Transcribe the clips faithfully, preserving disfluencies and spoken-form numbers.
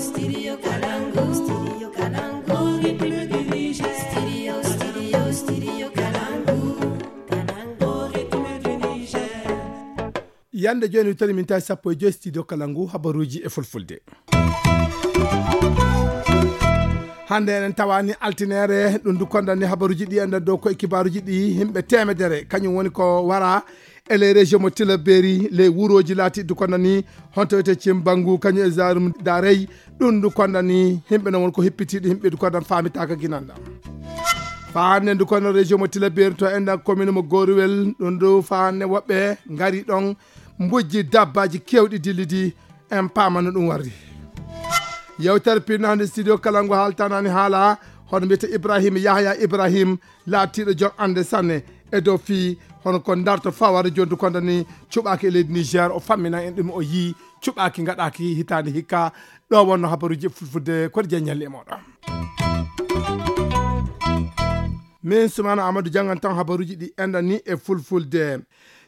Studio Kalangu, Studio Kalangu, Ritme du Niger. Studio, Studio, Studio Kalangu, Kalangu, Ritme du Niger. Yande jooni wittori min tawi sappo e joyi studio Kalangu habaruuji e fulfulde. Hannde enen tawani altinere ɗum du kondani habaruuji ɗi enden dow koye kibaruuji ɗi. Himɓe temedere kañum woni ko wara e les régions mo Tilaberi, les wuroji laati du kondani honto wiyete Cimbangu kañum e Zarum Darey. Ɗum du kondani himɓe non woni ko hippitiɗo himɓe du kondan famitaka ginanda. Fa hannde du kono région mo Tilaberi to enden commune mo Goruwel ɗum du fa hannde woɓɓe ngari ɗon mbojji dabbaji kewɗi dillidi. En paama no ɗum warri. Yewtere pinno hannde studio Kalangu haaltanani haala hono mbiyete Ibrahim Yahya Ibrahim laatiiɗo joom annde sanne e dow fii hono ko darto fawade jondu kondani cuɓaaki e leydi Niger. O fammina en ɗum o yii cuɓaaki gaɗaaki hitaande hikka ɗo wonno habaruuji e fulfulde koɗi jeññalli e moɗon. Min Sumana Amadou janngan tan habaruuji ɗi enɗan ni e fulfulde.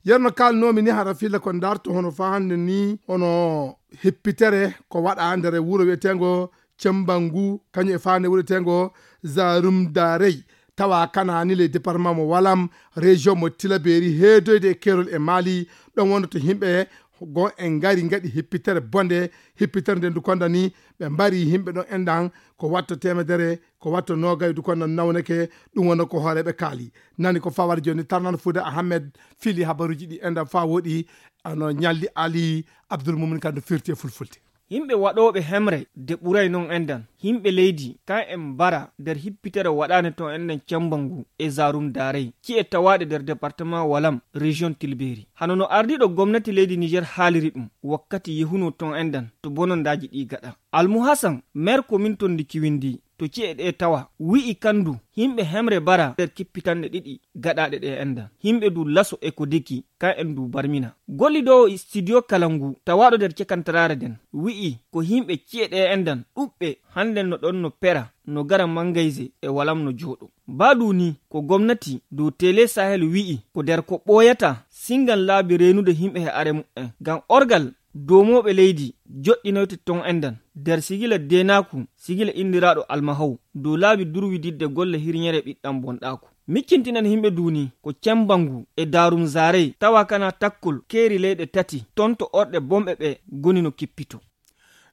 Yerno kalnomi ni hara filla ko darto hono fa hannde ni hono hippitere ko waɗa nder wuro wiyetengo Cembangu kañum e fa nde wuro wiyetengo Zarum Darey. Tawa kanani le département mo Walam, région mo Tilaberi heedoyde e Kerol e Mali. Ɗon wonno to himɓe go en ngari ngaɗi hippitere bonde. Hippitere nde ndu kondani ɓe mbari himɓe ɗon enɗan ko watto temedere ko watto nogay du kono nawneke. Ɗum wonno ko hooreɓe kaali. Nani ko fawar joni tarnan Fuuda Ahmed fili habaruji ɗi enɗan fa woɗi ano ñalli Ali Abdoul Mumin kan no firti e fulfulde. Yimɓe waɗooɓe hemre de ɓuray non enɗan. Yimɓe leydi kan en mbara nder hippitere waɗaande ton enɗan Cembangu e Zarum Daarey, ci'e tawaaɗe nder departement Walam, région Tilberi. Hano no ardiiɗo gomnati leydi Niger haaliri ɗum wakkati yehunoo ton enɗan to bonondaaji ɗi gaɗa. Almuhasan, maire commune ton ndi Kiwindi, to ci'e ɗe tawa, wi'i kan du, yimɓe hemre mbara nder kippitanɗe ɗiɗi gaɗaaɗe ɗe enɗan. Yimɓe du laso e ko deki, kan en du barmina. Gollidoowo studio kala ngu, tawaaɗo nder cekantaraare nden, wi'i ko yimɓe ci'e ɗe enɗan ɗuɓɓe hannden no ɗon no pera, no gara mangayse e Walam no jooɗo. Baadu ni ko gomnati dow Tele Sahel wi'i ko nder ko ɓooyata singan laabi reenude yimɓe he are mu'en. Ngam orgal doomooɓe leydi joɗɗinoyte ton enɗan nder sigila deenaaku, sigila inndiraaɗo Almahaw, dow laabi durwididde golle hirñere ɓiɗɗan bonɗaaku. Miccintinan yimɓe duuni ko Cembangu e Daarum Zaarey tawa kana takkol keeri leyɗe tati ton to orɗe bomɓe ɓe goni no kippito.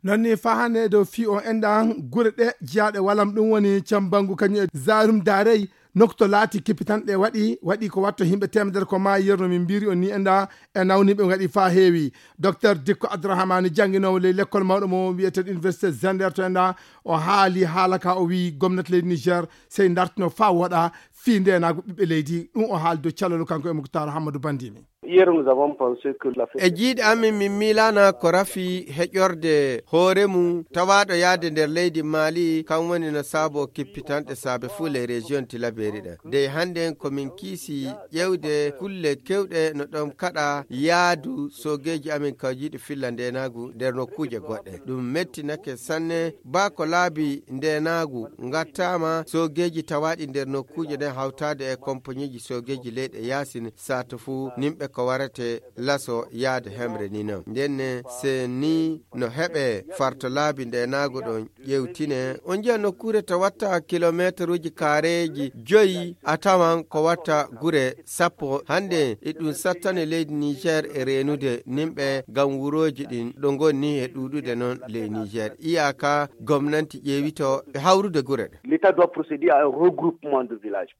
Non ni fa hannde e dow fii o enɗan gure ɗe jiyaaɗe Walam ɗum woni Cembangu kañum e Zarum Daarey. Nokto laati kippitanɗe waɗi, waɗi ko watto yimɓe temedere ko maayi yerno min mbiri on ni enɗa e nawniɓe waɗi fa heewi. Docteur Dikko Abdourahmane jannginoowo ley lekkol mawɗo mo wiyete Université Zender to enɗa o haali haala ka o wi'i gomnati leydi Niger sey dartino fa woɗa fii ndeenaagu ɓiɓɓe leydi. Ɗum o haali dow calolu kanko e Muktar Hammadou Bandimi. Hier, nous avons pensé que la E jiiɗe amin min miilaana ko rafi heƴorde hoore mum tawaaɗo yahde nder leydi Mali kam woni no saabo kippitanɗe saabe fuu les régions Tilaberi ɗe. Dey hannden ko min kiisi ƴeewde kulle kewɗe no ɗon kaɗa yaadu soogeeji amin kawjiiɗi filla ndeenaagu nder nokkuuje goɗɗe. Ɗum mettinake sanne baa ko laabi ndeenaagu ngattaama soogeeji tawaaɗi nder nokkuuje ɗen hawtaade e kompoñiiji soogeeji leyɗe yaasin sato fuu nimɓe ko warate laso yaade hemre ni non. Ndenne se ni no heɓe farto laabi ndeenaagu ɗon ƴeewtine, on njiya nokkuure to watta kilometeruuji kaareeji joyi a tawan ko watta gure sappo. Hannde e ɗum sattani leydi Niger e reenude nimɓe ngam wurooji ɗin ɗo ngonni e ɗuuɗude non ley Niger. Iyaka gomnanti ƴeewito e hawrude gure ɗe. L'État doit procéder à un regroupement de villages.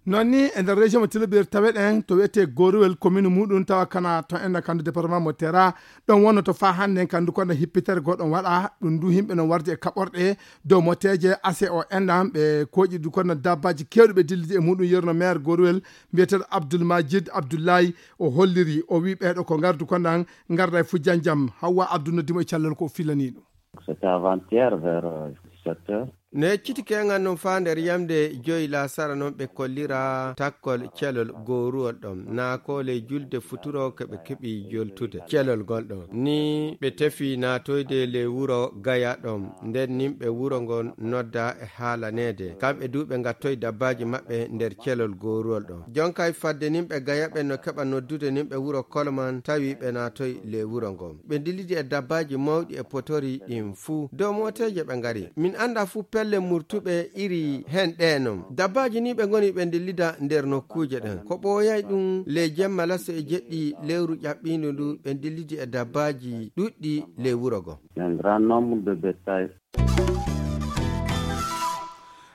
Non ni e nder région mo Tilaberi taweɗen to wiyete Goruwel commune muɗum tawa kana to enɗa kandu département mo Tera. Ɗon wonno to fa hannde kandu kono hippitere goɗɗon waɗa ɗum du yimɓe non warde e kaɓorɗe dow moteeje ase o enɗan ɓe koƴi du kono dabbaji kewɗi ɓe dillidi e muɗum yerno maire Goruwel mbiyeteɗo Abdoul Majid Abdoulaye o holliri o wi ɓeɗo ko ngardu kono ngarda e fujjanjam. Hawwa Abdou noddimo e callal ko o filani ɗum. C'était avant-hier vers euh, dix-sept heures. No yecciti keŋal non faa nder yamde joyi laasara non ɓe kollira takkol celol gooruwol ɗon. Naa ko ley julde futuro ko ɓe keɓi joltude celol ngol ɗon. Ni ɓe tefi naatoyde ley wuro Gaya ɗon. Nden nin ɓe wuro ngon nodda e haalaneede. Kamɓe du ɓe ngattoyi dabbaaji maɓɓe nder celol gooruwol ɗon. Jonkay fadde nin ɓe Gaya ɓen no keɓa noddude nin ɓe wuro Kolman tawi ɓe naatoyi ley wuro ngon. Ɓe dillidi e dabbaaji mawɗi e potori ɗin fuu. Dow mooteeje ɓe ngari. Min anndaa fuu pelle murtuɓe iri hen ɗee non. Dabbaaji ni ɓe ngoni ɓe dillida nder nokkuuje ɗen. Ko ɓooyay ɗum ley jemma laso e jeɗɗi lewru ƴaɓɓiindu ndu ɓe dillidi e dabbaaji ɗuɗɗi ley wuro go. Un grand nombre de bétail.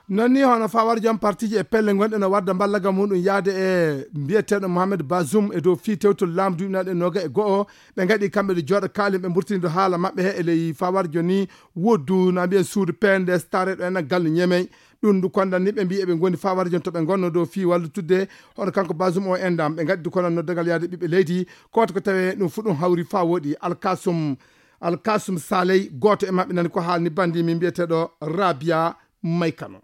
Non ni hono fawar jom partiji e pelle gonɗe no wadda mballaga muɗum yaade e mbiyeteeɗo Mohamed Bazoum e dow fii tewtol laamu duuɓi naɗe noga e go'o. Ɓe ngaɗi kamɓe ɗo jooɗo kaalin ɓe mburtini ɗo haala maɓɓe he e ley fawarjo ni woddu na mbiyen suudu P N D S tareɗo en gallu ñemey. Ɗum ndu kondan ni ɓe mbi eɓe ngoni fawarjo to ɓe ngonno dow fii wallitudde hono kanko Bazoum o endam. Ɓe ngaɗi du kono noddagal yaade ɓiɓɓe leydi koto ko tawe ɗum fu ɗum hawri faa woɗi. Alkasum Alkasum Saley, gooto e maɓɓe nani ko haalni bandi min mbiyeteeɗo Rabia Maykano.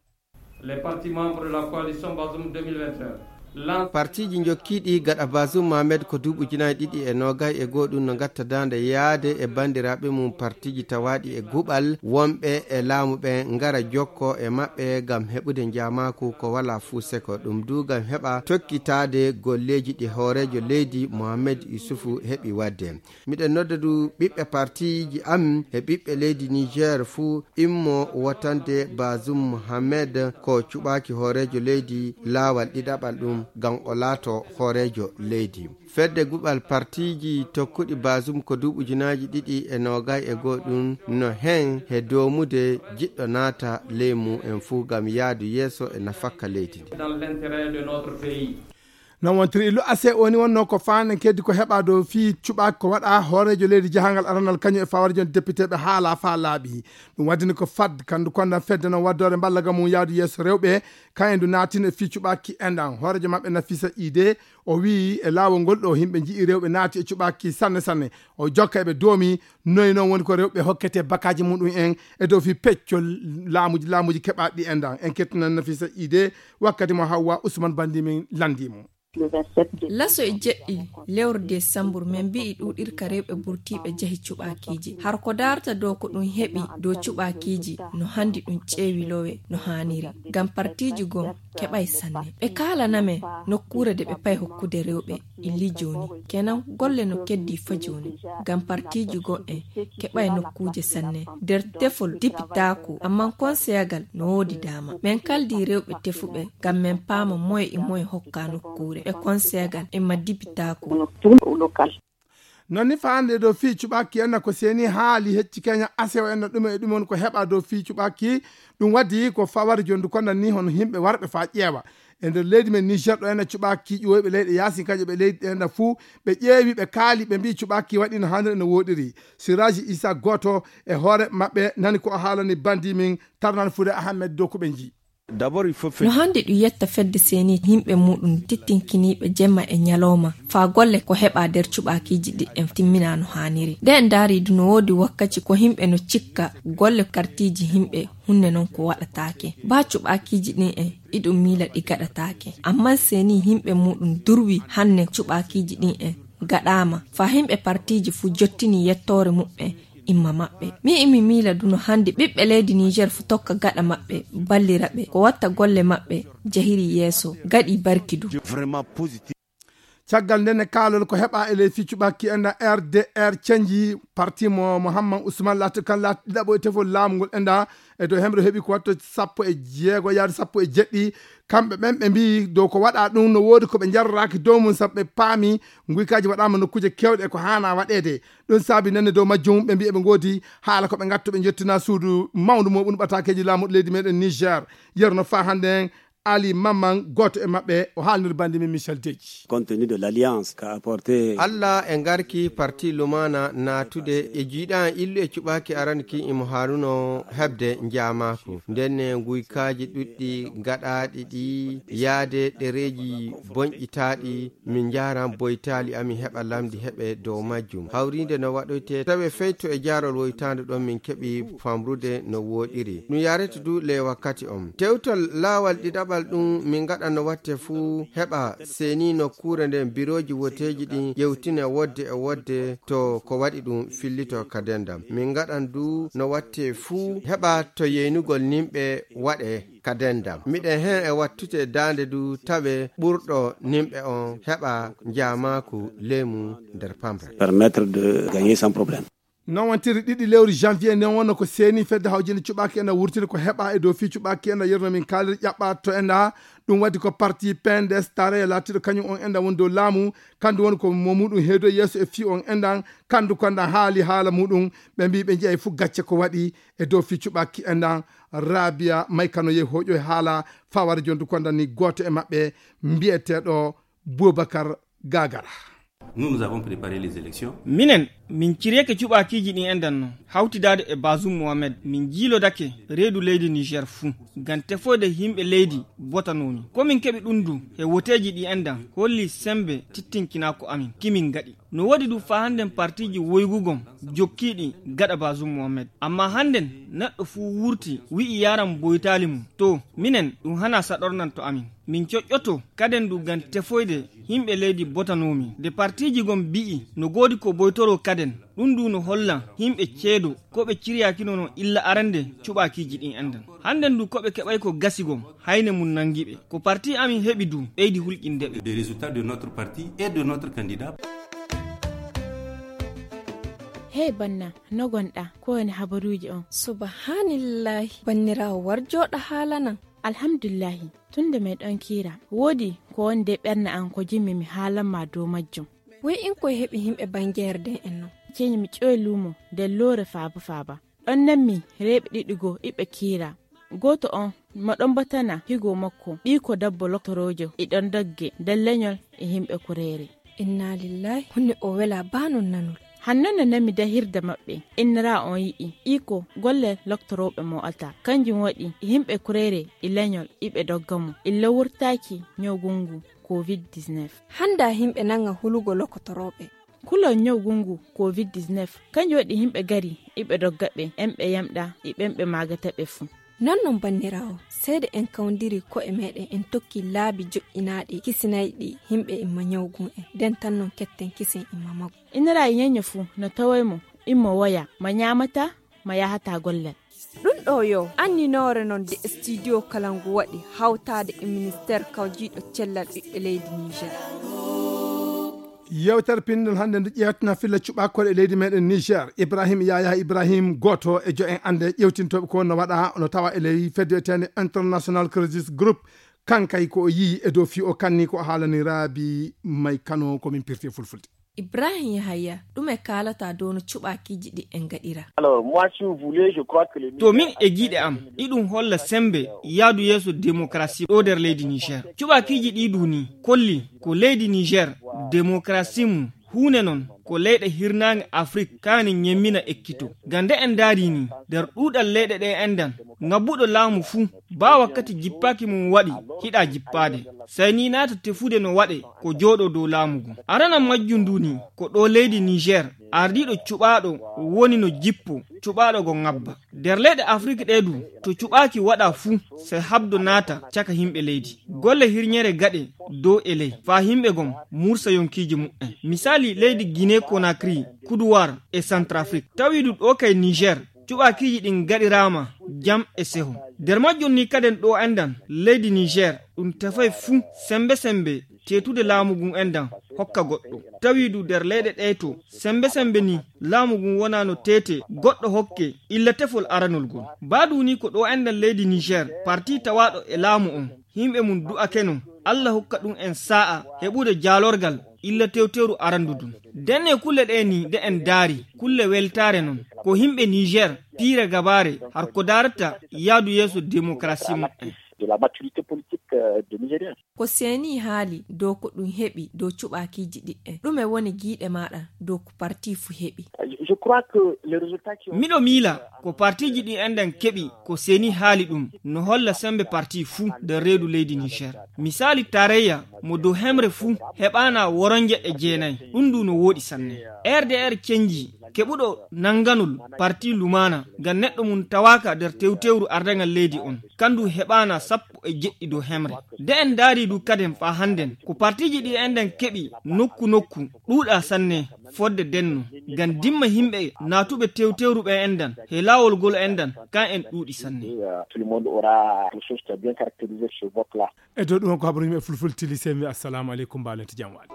Les partis membres de la coalition Bazoum deux mille vingt et un lancent. Partiji jokkiiɗi gaɗa Bazoum Mohamed ko duuɓi ujunaaji ɗiɗi e noogay e goo ɗum no ngatta daande yaade e banndiraaɓe mum partiji tawaaɗi e guɓal wonɓe e laamu ɓe ngara jokko e maɓɓe ngam heɓude njaamaaku ko walaa fuu seko ɗum du ngam heɓa tokkitaade golleeji ɗi hooreejo leydi Mohamed Yusufu heɓi waɗde. Miɗen nodda du ɓiɓɓe partiiji am e ɓiɓɓe leydi Niger fuu immo wotande Bazoum Mohamed ko cuɓaaki hooreejo leydi laawal ɗiɗaɓal ɗum ngam o laato hooreejo leydi. Fedde guɓal partiiji tokkuɗi Bazoum ko duuɓi ujunaaji ɗiɗi e noogay e goo ɗum no hen he doomude jiɗɗo naata ley mum en fuu ngam yaadu yeeso e nafakka leydi ndi. Dans l'intérêt de notre pays. Non wontiri illu ase woni wonno ko faanen keddi ko heɓa dow fii cuɓaaki ko waɗa hooreejo leydi jahangal aranal kañum e fawarjo député ɓe haala faa laaɓi. Ɗum waddini ko fad kandu kondan fedde non waddore mballaga mum yaadu yeeso rewɓe kayen du naatino e fii cuɓaaki enɗan hooreejo maɓɓe Nafisa Ide. O wii e laawol ngol ɗo himɓe nji'i rewɓe naati e cuɓaaki sanne sanne. O jokka eɓe doomi noy non woni ko rewɓe hokkete bakaji muɗum en e dow fii peccol laamuji laamuji keɓaɗi enɗan en kettinan Nafisa Ide. Wakkati mo Hawwa Usman bandi min landi mo. Laso e jeɗɗi lewru desambur min mbi'i ɗuuɗirka rewɓe burtiiɓe jahi cuɓaakiiji. Har ko daarta dow ko ɗum heɓi dow cuɓaakiiji no handi ɗum ƴeewi lowe no haaniri. Ngam partiiji goo keɓay sanne. Ɓe kaalana men nokkuure de ɓe pay hokkude rewɓe illi jooni. Kenan golle no keddi fa jooni. Ngam partiiji goo en keɓay nokkuuje sanne. Nder tefol dipitaaku, amman konseyagal no woodi daama. Men kaldi rewɓe tefuɓe ngam men paama moye e moye hokka nokkuure. Ɓe konseyagal e ma dipitaaku. Non ni faande dow fii cuɓaaki enna ko seeni haali hecci keña asewo enna ɗume e ɗume woni ko heɓa dow fii cuɓaaki. Ɗum waddi ko fawari jondu konnan ni hono himɓe warɓe faa ƴeewa e nder leydi men Niger ɗo enna cuɓaaki ƴiwoyɓe leyɗe yaasin kañƴe ɓe leydi ɗe enna fuu ɓe ƴeewi ɓe kaali ɓe mbii cuɓaaki waɗi no haaniri no woɗiri. Siraji Isa gooto e hoore maɓɓe nani ko o haalani bandi min Tarnan Fude Ahmed dow ko ɓe njii. No handi ɗum yetta fedde seeni yimɓe muɗum tittinkiniiɓe jemma e ñalawma faa golle ko heɓa nder cuɓaakiiji ɗi en timmina no haaniri. Nde en ndaari du no woodi wakkaci ko yimɓe no cikka golle kartiiji yimɓe hunde non ko waɗataake. Baa cuɓaakiiji ɗin en iɗum miila ɗi gaɗataake. Amman seeni yimɓe muɗum durwi hanne cuɓaakiiji ɗin en gaɗaama faa yimɓe partiiji fuu jottini yettoore muɓɓen imma maɓɓe. Mi imi miila du no handi ɓiɓɓe leydi Niger fu tokka gaɗa maɓɓe ballira ɓe ko watta golle maɓɓe jahiri yeeso gaɗi barki du. Caggal nden e kaalol ko heɓa e ley fii cuɓaaki enɗan R D R canji parti mo Mohamman Usman laati kan laati ɗiɗaɓo e tefol laamu ngol enɗan e dow hemre heɓi ko watto sappo e jeego yaade sappo e jeɗɗi. Kamɓe ɓen ɓe mbii dow ko waɗa ɗum no woodi ko ɓe njarraaki dow mum sabu ɓe paami nguykaaji waɗaama nokkuuje keewɗe e ko haana waɗeede. Ɗum saabi nenne dow majjum ɓe mbii eɓe ngoodi haala ko ɓe ngatto ɓe njottina suudu mawndu mo ɓun ɓataakeeji laamuɗo leydi meɗen Niger. Yeru no faa hannden Ali Mamman, gooto e maɓɓe, o haalnir bandi min Michel Deji. Compte tenu de l'alliance qu'a apporté. Alla e ngarki parti Lumana naatude e jiiɗan illu e cuɓaaki aran ki imo haaruno heɓde njaamaaku. Nden ne nguykaaji ɗuɗɗi gaɗaaɗi ɗi yaade ɗereeji bonƴitaaɗi, min njaaran boytaali amin heɓa lamndi heɓe dow majjum. Hawriinde no waɗoyte tawe feyto e jaarol woytaande ɗon min keɓi famrude no wooɗiri. Ɗum yaarete du le wakkati on. Tewtol laawal ɗiɗaɓal ɗum min ngaɗa no watte fuu heɓa seeni nokkuure nden birooji woteeji ɗin ƴewtine wodde e wodde to ko waɗi ɗum fillito ka dendam. Min ngaɗan du no watte fuu heɓa to yeynugol nimɓe waɗe ka dendam. Miɗen hen e wattute daande du tawe ɓurɗo nimɓe on heɓa njaamaaku leemu nder pamre. Permettre de gagner sans problème. Non wontiri ɗiɗi lewru janvier nden wonno ko seeni fedde hawjinde cuɓaaki en a wurtini ko heɓa e dow fii cuɓaaki en a yerno min kaaliri ƴaɓɓa to en a. Ɗum waɗi ko parti P N D S taaraya laatiiɗo kañum on enɗan woni dow laamu. Kandu woni ko mo muɗum heedo yeeso e fii on enɗan. Kandu konɗan haali haala muɗum. Ɓe mbii ɓe njiyay fof gacce ko waɗi e dow fii cuɓaaki enɗan. Rabia maykano yehi hoƴo e haala fawara jondu konɗan ni gooto e maɓɓe mbiyeteeɗo Boubacar Gagara. Nous, nous avons préparé les élections. Minen, min ciryake cuɓaakiiji ɗin enɗan non, hawtidaade e Bazoum Mohamed, min jiilodake reedu leydi Niger fuu, ngam tefoyde yimɓe leydi botanoomi. Ko min keɓi ɗum du, he woteeji ɗi enɗan, holli sembe tittinkinaa ko amin, kimin ngaɗi. No woodi du faa hannden partiiji woygugon jokkiiɗi gaɗa Bazoum Mohamed. Amma hannden, neɗɗo fuu wurti, wi'i yaran boytaali mum. To, minen, ɗum hanaa saɗornan to amin. Min coƴƴoto kaden du ngam tefoyde yimɓe leydi botanoomi. Nde partiiji gon mbi'i no goodi ko boytoroo kaden, ɗum du no holla yimɓe ceedo ko ɓe ciryaakino non illa arande cuɓaakiiji ɗin enɗan. Hannden du ko ɓe keɓay ko gasi gon, hayne mum nangi ɓe. Ko parti amin heɓi du, ɓeydi hulƴinde ɓe. Des résultats de notre parti et de notre candidat. Hey banna, no gonɗa? Ko woni habaruuji on? Subhaanallaahi, banniraawo war jooɗa haalanan. Alhamdulillahi, tun nde meɗon kiira, woodi ko woni de ɓernde an ko jimmi mi haalan ma dow majjum. Woy in koy heɓi yimɓe bangeere den en non. Ceñi mi ƴoy luumo nder loore faaba faaba. Ɗon nanmi reeɓe ɗiɗi goo iɓe kiira. Gooto on mo ɗon batana higo makko, ɓiiko dabbo loktoroojo, e ɗon dogge nder leñol e yimɓe kureere. Inna lillahi, honno o wela baa non nanol. Hanno no nanmi dahirde maɓɓe, innira on yi'i, iko golle loktorooɓe mo alta. Kanjum waɗi yimɓe kureere e leñol iɓe dogga mo, illa wurtaaki ñawgu ngu covid dix-neuf. Hannda yimɓe nanga hulugo loktorooɓe. Kulol ñawgu ngu covid dix-neuf, kanjum waɗi yimɓe gari iɓe dogga ɓe, en ɓe yamɗa e ɓen ɓe maagata ɓe fuu. Non non banniraawo, seede en kawndiri ko'e meɗen en tokki laabi joƴƴinaaɗi kisinayɗi yimɓe imma ñawgu en, nden tan non ketten kisen imma maggu. Innira e ñeño fuu no tawoy mo, immo woya, ma ñaamata, ma yahata gollal. Ɗum ɗo yo anninoore non de studio kala ngu waɗi hawtaade e ministeer kawjiiɗo cellal ɓiɓɓe leydi Niger. Yewtere pinndol hannde nde ƴeewtana filla cuɓaakoore e leydi meɗen Niger. Ibrahim Yaya Ibrahim, gooto e jo en annde ƴeewtintooɓe ko no waɗa, no tawa e ley fedde wiyeteende International Crisis Group. Kankay ko o yii e dow fii o kanni ko o haalani Raabi May Kano ko min pirti e fulfulde. Ibrahim Yahaya, ɗume kaalata dow no cuɓaakiiji ɗi en ngaɗira? Alors, moi, si vous voulez, je crois que les To min e giiɗe am, iɗum holla sembe yaadu yeeso demokarasi ɗo nder leydi Niger. Cuɓaakiiji ɗi du ni kolli ko leydi Niger demokarasi mum huune non ko leyɗe hirnaange Afrik kaani ñemmina ekkito. Ngam nde en ndaari ni, nder ɗuuɗal leyɗe ɗe enɗan, ngabbuɗo laamu fuu, baa wakkati jippaaki mum waɗi, hiɗa jippaade. Sey ni naata tefude no waɗe ko jooɗo dow laamu ngun. Arana majjum ndu ni, ko ɗo leydi Niger, ardiiɗo cuɓaaɗo woni no jippo, cuɓaaɗo go ngabba. Nder leyɗe Afrik ɗe du, to cuɓaaki waɗa fuu, sey habdo naata caka yimɓe leydi. Golle hirñere gaɗe dow e ley, faa yimɓe gon mursa yonkiiji muɓɓen. Misaali leydi Guinée Conakry, Kuduwaar e Centrafrique. Tawi du ɗo kay Niger, cuɓaakiiji ɗin gaɗiraama jam e seho. Nder majjum ni kaden ɗo enɗan leydi Niger, ɗum tefay fuu sembe sembe teetude laamu ngun enɗan hokka goɗɗo. Tawi du nder leyɗe ɗe to sembe sembe ni laamu ngun wona no teete goɗɗo hokke illa tefol aranol ngol. Baa du ni ko ɗo enɗan leydi Niger, parti tawaaɗo e laamu on, yimɓe mum du'akeno Alla hokka ɗum en saa'a heɓude jaalorgal illa tewteeru arandu ndun. Nden e kulle ɗe ni nde en ndaari, kulle weltaare non, ko yimɓe Niger piire gabaare har ko daarata yaadu yeeso demokarasi muɓɓen. De la maturité politique euh, des Nigériens. Ko seeni haali dow ko ɗum heɓi dow cuɓaakiiji ɗiɗi en. Ɗume woni giiɗe maaɗa dow ko parti fuu heɓi? Je, je crois que les résultats qui ont Miɗo miila ko partiiji ɗi enɗen keɓi ko seeni haali ɗum no holla sembe parti fuu nder reedu leydi Niger. Misaali, taarayya mo dow hemre fuu heɓaana woronje e jeenayi. Ɗum ndu no wooɗi sanne. R D R cenji keɓuɗo nannganol parti lumaana ngam neɗɗo mum tawaaka nder tewtewru ardaŋal leydi on. Kandu heɓaana sappo e jeɗɗi dow hemre. Nde en ndaari du kaden faa hannden, ko partiiji ɗi enɗen keɓi nokku nokku ɗuuɗa sanne fodde denno. Ngam dimma yimɓe naatuɓe tewtewru ɓe enɗan he laawol ngol enɗan, kan en ɗuuɗi sanne. Euh, tout le monde aura quelque chose qui a bien caractérisé ce vote-là. E dow ɗum ko habaruji e fulfulde tili, semi assalamu aleykum, mbaalen to jam waali.